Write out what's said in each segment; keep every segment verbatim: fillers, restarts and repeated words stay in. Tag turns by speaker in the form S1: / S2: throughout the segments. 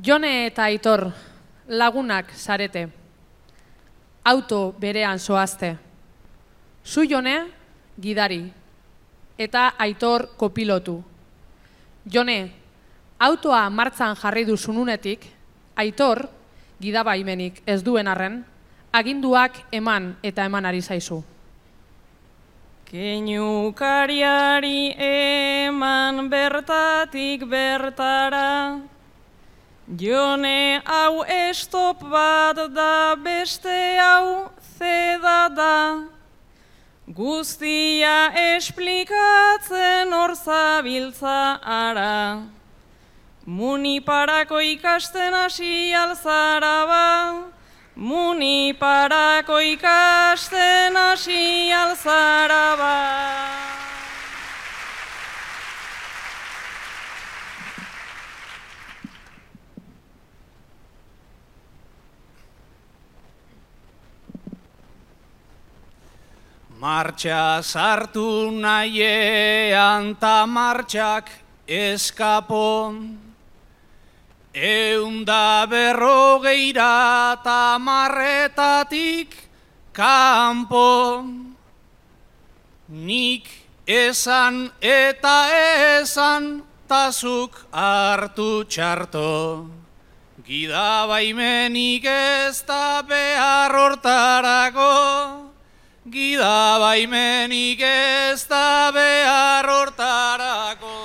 S1: Jone eta Aitor, lagunak zarete. Auto berean zoazte. Zu Jone, gidari. Eta Aitor kopilotu. Jone, autoa martzan jarri duzununetik, Aitor, gidabaimenik ez duen arren, aginduak eman eta eman ari zaizu.
S2: Keinukariari eman bertatik bertara, Jone hau estop bat da, beste hau zeda da, guztia esplikatzen hor zabiltza ara. Muniparako ikasten hasi alzara ba, Muniparako ikasten hasi alzara ba.
S3: Martxa sartu nahiean ta martxak eskapon, eunda berrogeira ta marretatik kanpo. Nik esan eta esan tazuk hartu txarto, gidabaimenik ez da behar hortarako. Gidabaimenik ez da behar hortarako.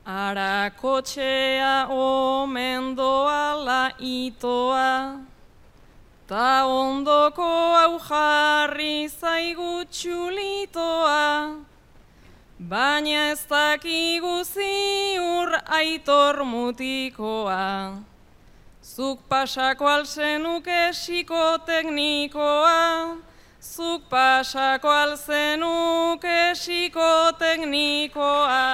S2: Ara kotxea omen doala itoa, ta ondoko hau jarri zaigu txulitoa, baina ez dakigu ziur Aitor mutikoa. Zuk pasako alzenuke psikoteknikoa, zuk pasako alzenuke psikoteknikoa.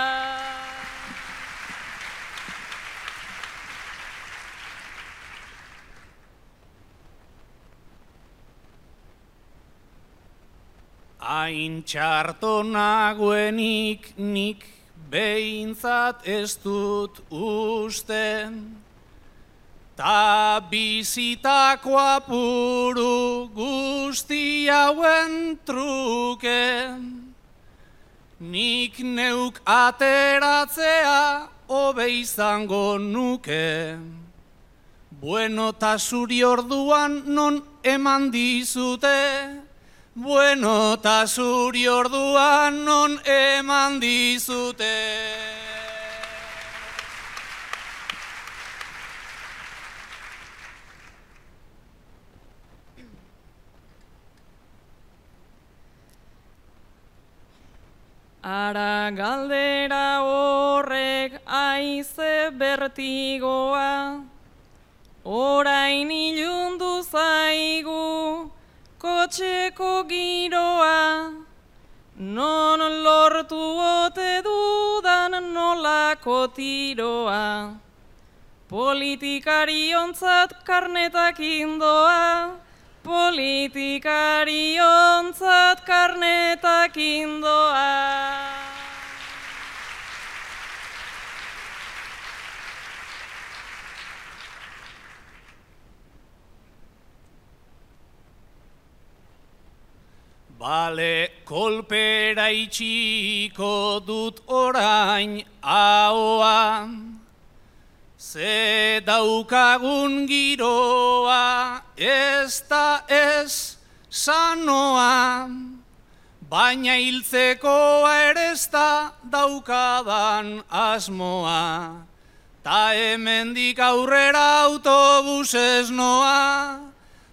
S3: Hain txarto nagoenik nik behintzat ez dut usten, ta bizitako apuru guzti hauen truke, nik neuk ateratzea hobe izango nuke. Bueno ta zuri orduan non eman dizute, bueno ta zuri orduan non eman dizute.
S2: Ara galdera horrek aize bertigoa, orain ilundu zaigu kotxeko giroa, non lortu ote dudan nolako tiroa. Politikariontzat karnetak indoa, politikariontzat karnetak indoa.
S3: Bale, kolpera itxiko dut orain ahoa, ze daukagun giroa ez da ez sanoa, baina hiltzekoa ere ez da daukadan asmoa, ta hemendik aurrera autobusez noa,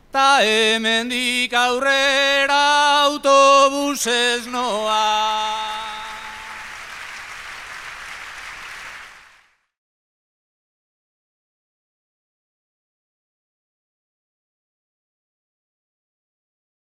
S3: ta hemendik aurrera autobusez noa.